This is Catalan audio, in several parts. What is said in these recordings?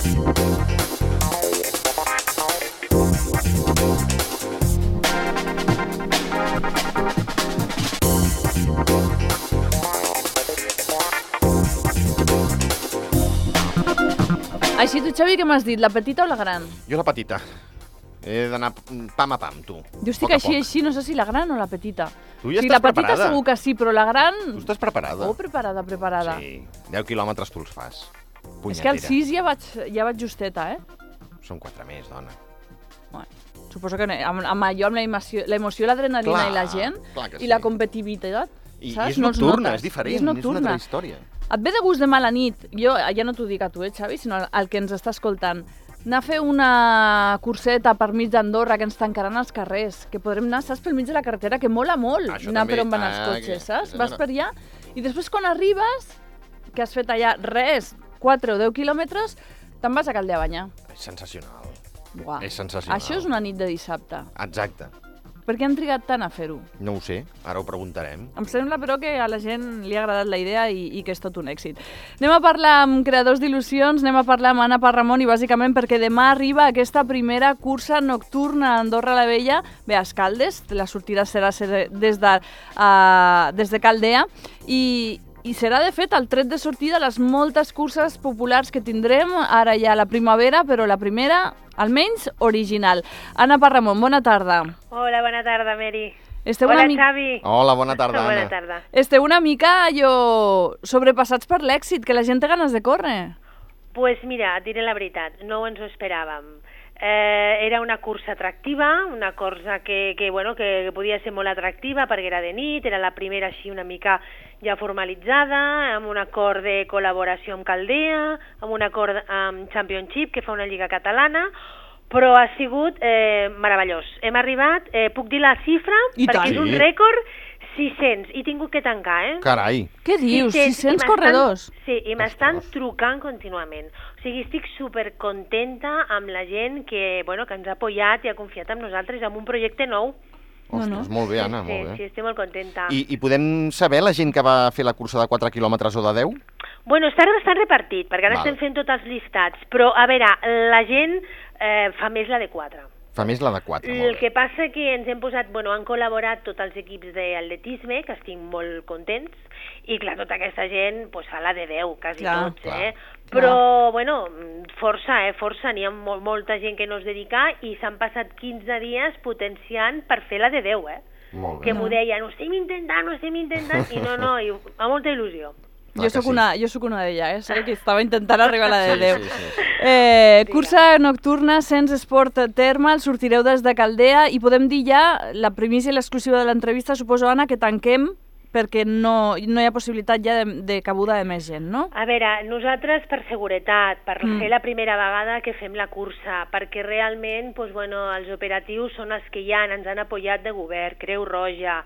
Així tu, Xavi, què m'has dit? La petita o la gran? Jo la petita. He d'anar pam a pam, tu. Jo estic així, no sé si la gran o la petita. Tu ja estàs preparada. La petita segur que sí, però la gran... Tu estàs preparada. Oh, preparada. Sí, 10 quilòmetres tu els fas. Punyetera. És que al 6 ja vaig justeta, Són 4 més, dona. Bueno, suposo que amb allò, amb l'emoció, l'adrenalina i la gent, i la competitivitat, I saps? és nocturna, és diferent, és una altra història. Et ve de gust demà a la nit, jo ja no t'ho dic a tu, Xavi, sinó al que ens està escoltant, anar a fer una curseta per mig d'Andorra que ens tancaran els carrers, que podrem anar, saps, pel mig de la carretera, que mola molt anar per on van els cotxes, saps? Vas per allà i després quan arribes, que has fet allà res, 4 o 10 quilòmetres, te'n vas a Calder a banyar. És sensacional. Buah. És sensacional. Això és una nit de dissabte. Exacte. Per què han trigat tant a fer-ho? No ho sé, ara ho preguntarem. Em sembla, però, que a la gent li ha agradat la idea i que és tot un èxit. Anem a parlar amb creadors d'il·lusions, anem a parlar amb Anna Parramon i bàsicament perquè demà arriba aquesta primera cursa nocturna a Andorra la Vella, bé, a Escaldes, la sortida serà des de Caldea i serà, de fet, el tret de sortida de les moltes curses populars que tindrem ara ja a la primavera, però la primera, almenys, original. Anna Parramon, bona tarda. Hola, bona tarda, Mary. Hola, Xavi. Hola, bona tarda, Anna. Bona tarda. Esteu una mica, sobrepassats per l'èxit, que la gent té ganes de córrer. Pues mira, et diré la veritat, no ens ho esperàvem. Era una cursa atractiva, una cursa que podia ser molt atractiva perquè era de nit, era la primera així una mica ja formalitzada, amb un acord de col·laboració amb Caldea, amb un acord amb Championship, que fa una lliga catalana, però ha sigut meravellós. Hem arribat, puc dir la xifra, perquè és un rècord, 600, i he tingut que tancar, Carai! Què dius? 600 corredors? Sí, i m'estan trucant contínuament. O sigui, estic supercontenta amb la gent que ens ha apoyat i ha confiat en nosaltres amb un projecte nou. Ostres, molt bé, Anna, molt bé. Sí, estic molt contenta. I podem saber la gent que va fer la cursa de 4 quilòmetres o de 10? Bueno, està bastant repartit, perquè ara estem fent tots els llistats, però, a veure, la gent fa més la de 4. Fa més la de 4, molt bé. El que passa que ens hem posat, han col·laborat tots els equips d'atletisme, que estic molt contents, i clar, tota aquesta gent fa la de 10, quasi tots, Però, força, n'hi ha molta gent que no es dedica i s'han passat 15 dies potenciant per fer la de 10, Molt bé. Que m'ho deien, ho estem intentant, i no, amb molta il·lusió. Jo soc una d'elles, que estava intentant arribar a la de 10. Cursa nocturna, Sens Sport Thermal, sortireu des de Caldea i podem dir ja, la primícia i l'exclusiva de l'entrevista, suposo, Anna, que tanquem perquè no hi ha possibilitat ja de cabuda de més gent, no? A veure, nosaltres per seguretat, per ser la primera vegada que fem la cursa, perquè realment els operatius són els que ja ens han apoyat de govern, Creu Roja,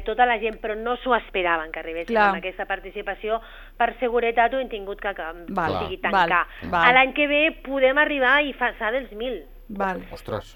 tota la gent, però no s'ho esperaven que arribéssim amb aquesta participació. Per seguretat ho hem tingut que tancar. L'any que ve podem arribar i passar dels 1.000.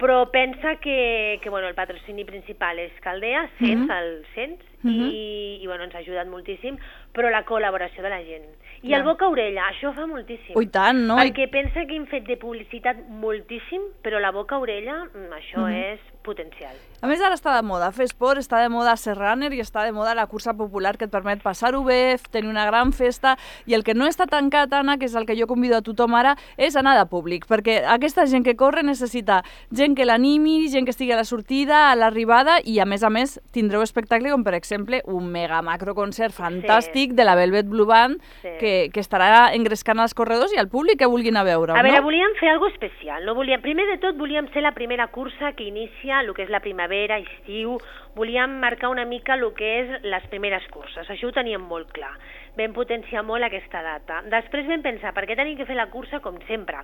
Però pensa que el patrocini principal és Caldea, el Sens, i ens ha ajudat moltíssim, però la col·laboració de la gent. I el boca-orella, això fa moltíssim. I tant, no? Perquè pensa que hem fet de publicitat moltíssim, però la boca-orella, això és potencial. A més, ara està de moda fer esport, està de moda ser runner i està de moda la cursa popular que et permet passar-ho bé, tenir una gran festa, i el que no està tancat, Anna, que és el que jo convido a tothom ara, és anar de públic, perquè aquesta gent que corre necessita gent que l'animi, gent que estigui a la sortida, a l'arribada, i a més tindreu espectacle com, per exemple, un mega macroconcert fantàstic de la Velvet Blue Band que estarà engrescant els corredors i al públic que vulguin a veure. A veure, volíem fer alguna especial. Primer de tot, volíem ser la primera cursa que inicia el que és la primavera, estiu, volíem marcar una mica el que és les primeres curses, això ho teníem molt clar. Vam potenciar molt aquesta data. Després vam pensar, per què tenim que fer la cursa com sempre?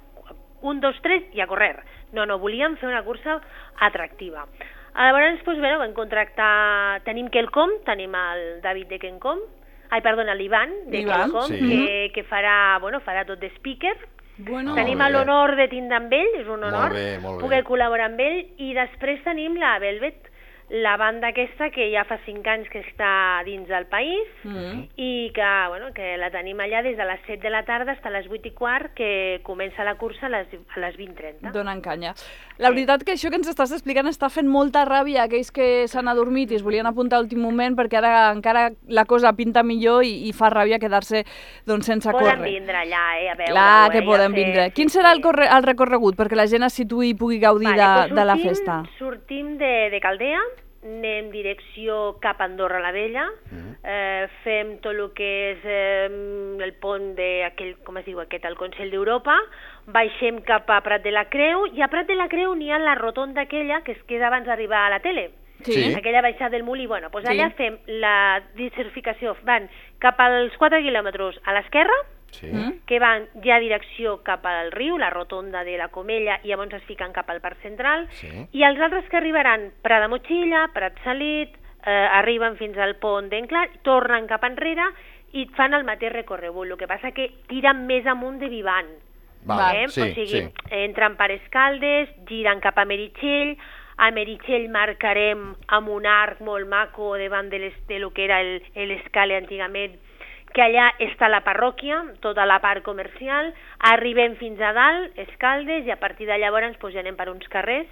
1, 2, 3 i a correr. No, volíem fer una cursa atractiva. Llavors, vam contractar, tenim Quelcom, tenim el David de Quelcom, l'Ivan de Quelcom, que farà tot de speaker. Tenim l'honor de tindre amb ell, és un honor poder col·laborar amb ell, i després tenim la Velvet, la banda aquesta que ja fa 5 anys que està dins del país i que la tenim allà des de les 7 de la tarda fins a les 8:15, que comença la cursa a les 20:30. Donant canya. La veritat que això que ens estàs explicant està fent molta ràbia a aquells que s'han adormit i es volien apuntar a l'últim moment, perquè ara encara la cosa pinta millor i fa ràbia quedar-se sense córrer. Poden vindre allà, a veure. Clar que poden vindre. Quin serà el recorregut perquè la gent es situï i pugui gaudir de la festa? Sortim de Caldea, anem direcció cap a Andorra la Vella, fem tot el que és el pont d'aquell, com es diu aquest, el Consell d'Europa, baixem cap a Prat de la Creu, i a Prat de la Creu n'hi ha la rotonda aquella que es queda abans d'arribar a la tele. Sí. Aquella baixada del Molí, allà fem la diversificació, van cap als 4 quilòmetres a l'esquerra, que van ja direcció cap al riu, la rotonda de la Comella, i llavors es fiquen cap al Parc Central, i els altres que arribaran Prat de Motxilla, Prat Salit, arriben fins al pont d'Enclar, tornen cap enrere i fan el mateix recorregut, el que passa que tiren més amunt de Vivant. O sigui, entren per Escaldes, giren cap a Meritxell, a Meritxell marcarem amb un arc molt maco davant de lo que era l'escala antigament, que allà està la parròquia, tota la part comercial, arribem fins a dalt, Escaldes, i a partir de llavors ja anem per uns carrers,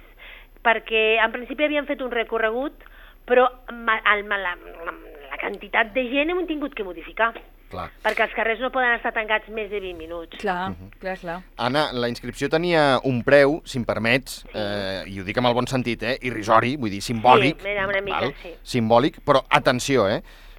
perquè en principi havíem fet un recorregut, però la quantitat de gent hem tingut que modificar. Clar. Perquè els carrers no poden estar tancats més de 20 minuts. Clar. Anna, la inscripció tenia un preu, si em permets, i ho dic amb el bon sentit, irrisori, vull dir, simbòlic. Sí, una mica, simbòlic, però atenció,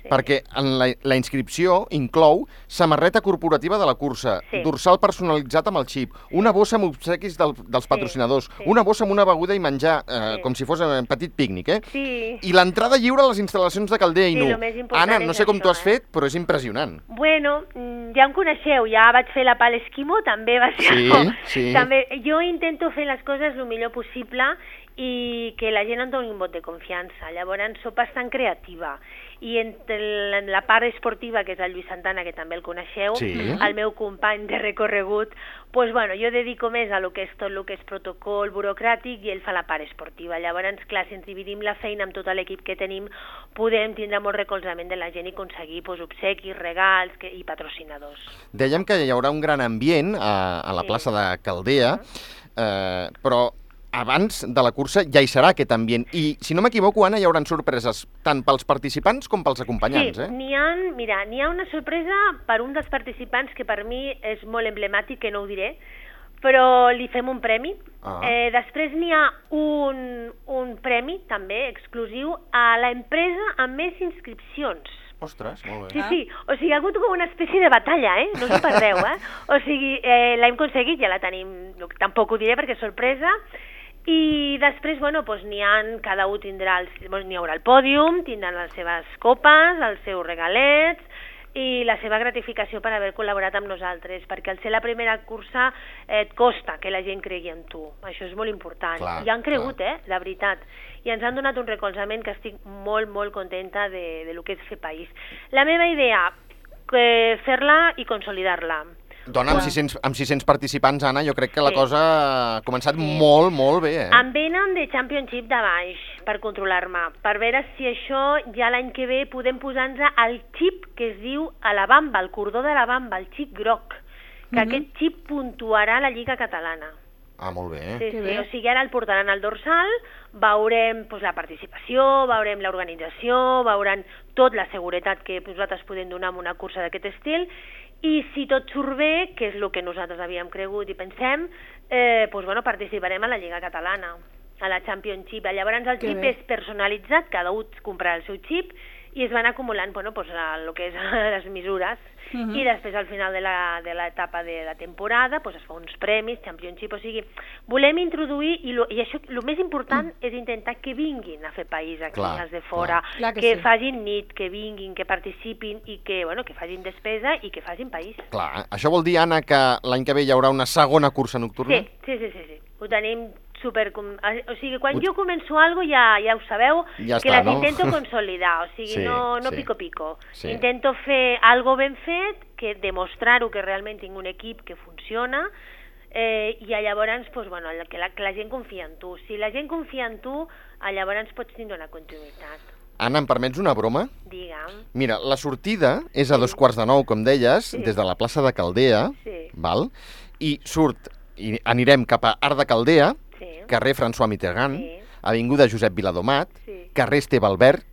perquè la inscripció inclou samarreta corporativa de la cursa, dorsal personalitzat amb el xip, una bossa amb obsequis dels patrocinadors, una bossa amb una beguda i menjar, com si fos un petit pícnic, i l'entrada lliure a les instal·lacions de Caldea i Nu. Anna, no sé com t'ho has fet, però és impressionant. Bueno, ja em coneixeu, ja vaig fer la Pal Esquimó, també va ser... Sí. Jo intento fer les coses el millor possible i que la gent em doni un vot de confiança. Llavors soc bastant creativa. I entre la part esportiva, que és el Lluís Santana, que també el coneixeu, el meu company de recorregut, jo dedico més a lo que és tot el que és protocol burocràtic i ell fa la part esportiva. Llavors, clar, si ens dividim la feina amb tot l'equip que tenim, podem tindre molt recolzament de la gent i aconseguir obsequis, regals i patrocinadors. Dèiem que hi haurà un gran ambient a la plaça de Caldea, però abans de la cursa ja hi serà aquest ambient. I, si no m'equivoco, Anna, hi haurà sorpreses tant pels participants com pels acompanyants, n'hi ha una sorpresa per un dels participants que per mi és molt emblemàtic, que no ho diré, però li fem un premi. Després n'hi ha un premi, també, exclusiu, a l'empresa amb més inscripcions. Ostres, molt bé. Sí, o sigui, ha hagut com una espècie de batalla, no us ho perdeu, O sigui, l'hem aconseguit, ja la tenim, tampoc ho diré perquè és sorpresa. I després, cada un tindrà, n'hi haurà el pòdium, tindran les seves copes, els seus regalets i la seva gratificació per haver col·laborat amb nosaltres, perquè al ser la primera cursa et costa que la gent cregui en tu. Això és molt important. I han cregut, la veritat. I ens han donat un recolzament que estic molt, molt contenta de lo que és fer país. La meva idea, fer-la i consolidar-la. Dona, amb 600 participants, Anna, jo crec que la cosa ha començat molt, molt bé, Em venen de Championship de baix per controlar-me, per veure si això ja l'any que ve podem posar-nos el xip que es diu a la bamba, el cordó de la bamba, el xip groc, que aquest xip puntuarà la Lliga Catalana. Ah, molt bé. Sí, o sigui, ara el portaran al dorsal, veurem la participació, veurem l'organització, veurem tot la seguretat que nosaltres podem donar en una cursa d'aquest estil, i si tot surt bé, que és el que nosaltres havíem cregut i pensem, participarem a la Lliga Catalana, a la Championship. Llavors el xip és personalitzat, cada un comprarà el seu xip, i es van acumulant el que és les mesures, i després al final de l'etapa de la temporada es fa uns premis, Championship, o sigui, volem introduir, i això el més important és intentar que vinguin a fer país aquí, els de fora, que facin nit, que vinguin, que participin i que facin despesa i que facin país. Clar, això vol dir, Anna, que l'any que ve hi haurà una segona cursa nocturna? Sí. Ho tenim o sigui, quan jo començo alguna cosa ja ho sabeu, que les intento consolidar, o sigui, no pico. Intento fer algo ben fet, que demostrar-ho que realment tinc un equip que funciona, i llavors, doncs, bueno, que la gent confia en tu. Si la gent confia en tu, llavors pots tindre una continuïtat. Anna, em permets una broma? Digue'm. Mira, la sortida és a 2:45, com deies, des de la plaça de Caldea, val? I anirem cap a Arc de Caldea, carrer François Mitterrand, avinguda Josep Viladomat, carrer Esteve Albert,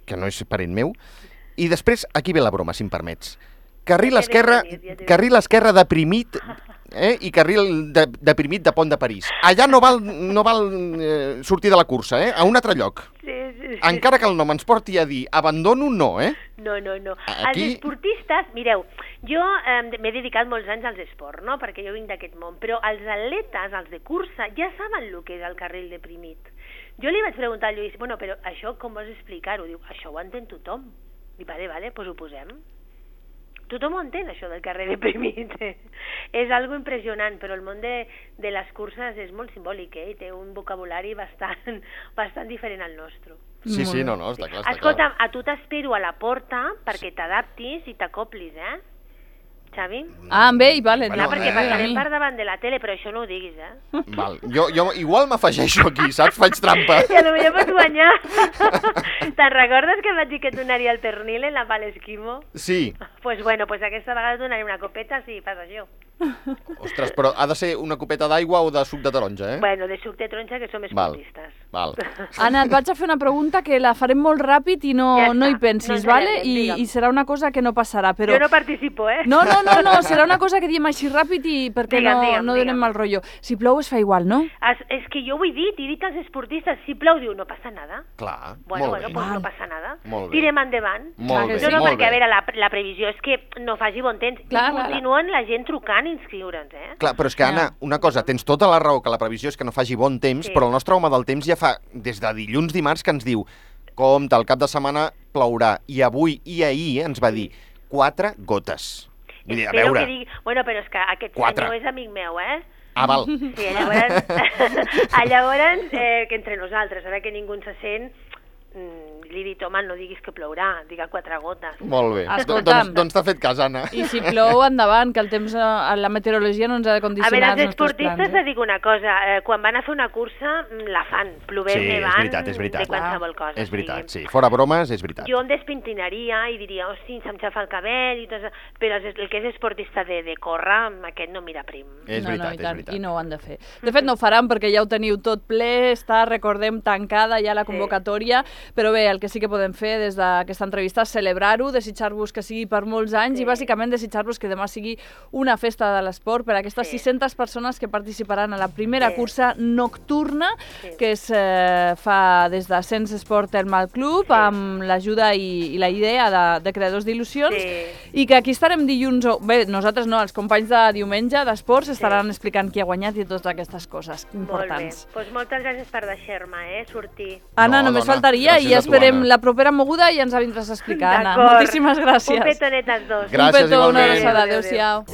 que no és parent meu, i després, aquí ve la broma, si em permets. Carril esquerre deprimit, i carril deprimit de Pont de París. Allà no val sortir de la cursa, a un altre lloc. Encara que el nom ens porti a dir abandono, no, No. Els esportistes, mireu, jo m'he dedicat molts anys als esports, no?, perquè jo vinc d'aquest món, però els atletes, els de cursa, ja saben el que és el carril deprimit. Jo li vaig preguntar al Lluís, bueno, però això com vols explicar-ho? Diu, això ho entén tothom. Dic, vale, doncs ho posem. Tothom ho entén, això del carrer deprimit. És algo impressionant, però el món de les curses és molt simbòlic, i té un vocabulari bastant diferent al nostre. Sí, no, està clar. Escolta'm, a tu t'espero a la porta perquè t'adaptis i t'acoplis, Xavi? Amb ell, vale. Clar, perquè passarem per davant de la tele, però això no ho diguis, Val. Jo igual m'afegeixo aquí, saps? Faig trampa. I potser pots guanyar. Te'n recordes que em vaig dir que et donaria el pernil en la Palesquimo? Sí. Doncs aquesta vegada et donaré una copeta si fas això. Ostres, però ha de ser una copeta d'aigua o de suc de taronja, Bueno, de suc de taronja, que som esportistes. Val. Anna, et vaig a fer una pregunta que la farem molt ràpid i no hi pensis, vale? I serà una cosa que no passarà, però... Jo no participo, No, serà una cosa que diem així ràpid i perquè no donem mal rotllo. Si plou es fa igual, no? És que jo ho he dit als esportistes, si plou, diu, no passa nada. Clar, bueno, molt bé. Doncs no passa nada. Molt bé. Tirem endavant. Molt bé, No, perquè, a veure, la previsió és que no faci bon temps. Clar, continuen la gent trucant i inscriure'ns, Clar, però és que, Anna, una cosa, tens tota la raó que la previsió és que no faci bon temps, però el nostre home del temps ja fa des de dilluns, dimarts, que ens diu compte, el cap de setmana plourà. I avui i ahir ens va dir 4 gotes. Vull dir, a veure... Bueno, però és que aquest senyor és amic meu, val. Sí, llavors que entre nosaltres, ara que ningú se sent, li he dit, home, no diguis que plourà, diga 4 gotes. Molt bé. Doncs t'ha fet cas, Anna. I si plou, endavant, que el temps, la meteorologia no ens ha de condicionar els nostres plans. A veure, els esportistes et dic una cosa, quan van a fer una cursa, la fan, plovent, nevant, de qualsevol cosa. És veritat, sí. Fora bromes, és veritat. Jo em despintinaria i diria, hosti, se'm xafa el cabell, però el que és esportista de córrer, aquest no mira prim. És veritat. I no ho han de fer. De fet, no ho faran perquè ja ho teniu tot ple, està, recordem, tancada ja la convocatòria, però bé, el que sí que podem fer des d'aquesta entrevista és celebrar-ho, desitjar-vos que sigui per molts anys i bàsicament desitjar-vos que demà sigui una festa de l'esport per a aquestes 600 persones que participaran a la primera cursa nocturna que es fa des de Sens Esport Thermal Club amb l'ajuda i la idea de Creadors d'Il·lusions i que aquí estarem dilluns, bé, nosaltres no, els companys de diumenge d'esports estaran explicant qui ha guanyat i totes aquestes coses importants. Molt bé, doncs moltes gràcies per deixar-me, sortir. Anna, només faltaria i esperem la propera moguda i ens la vindràs a explicar, Anna. Moltíssimes gràcies. Un petonet als dos. Gràcies, un petó, una abraçada. Adéu-siau.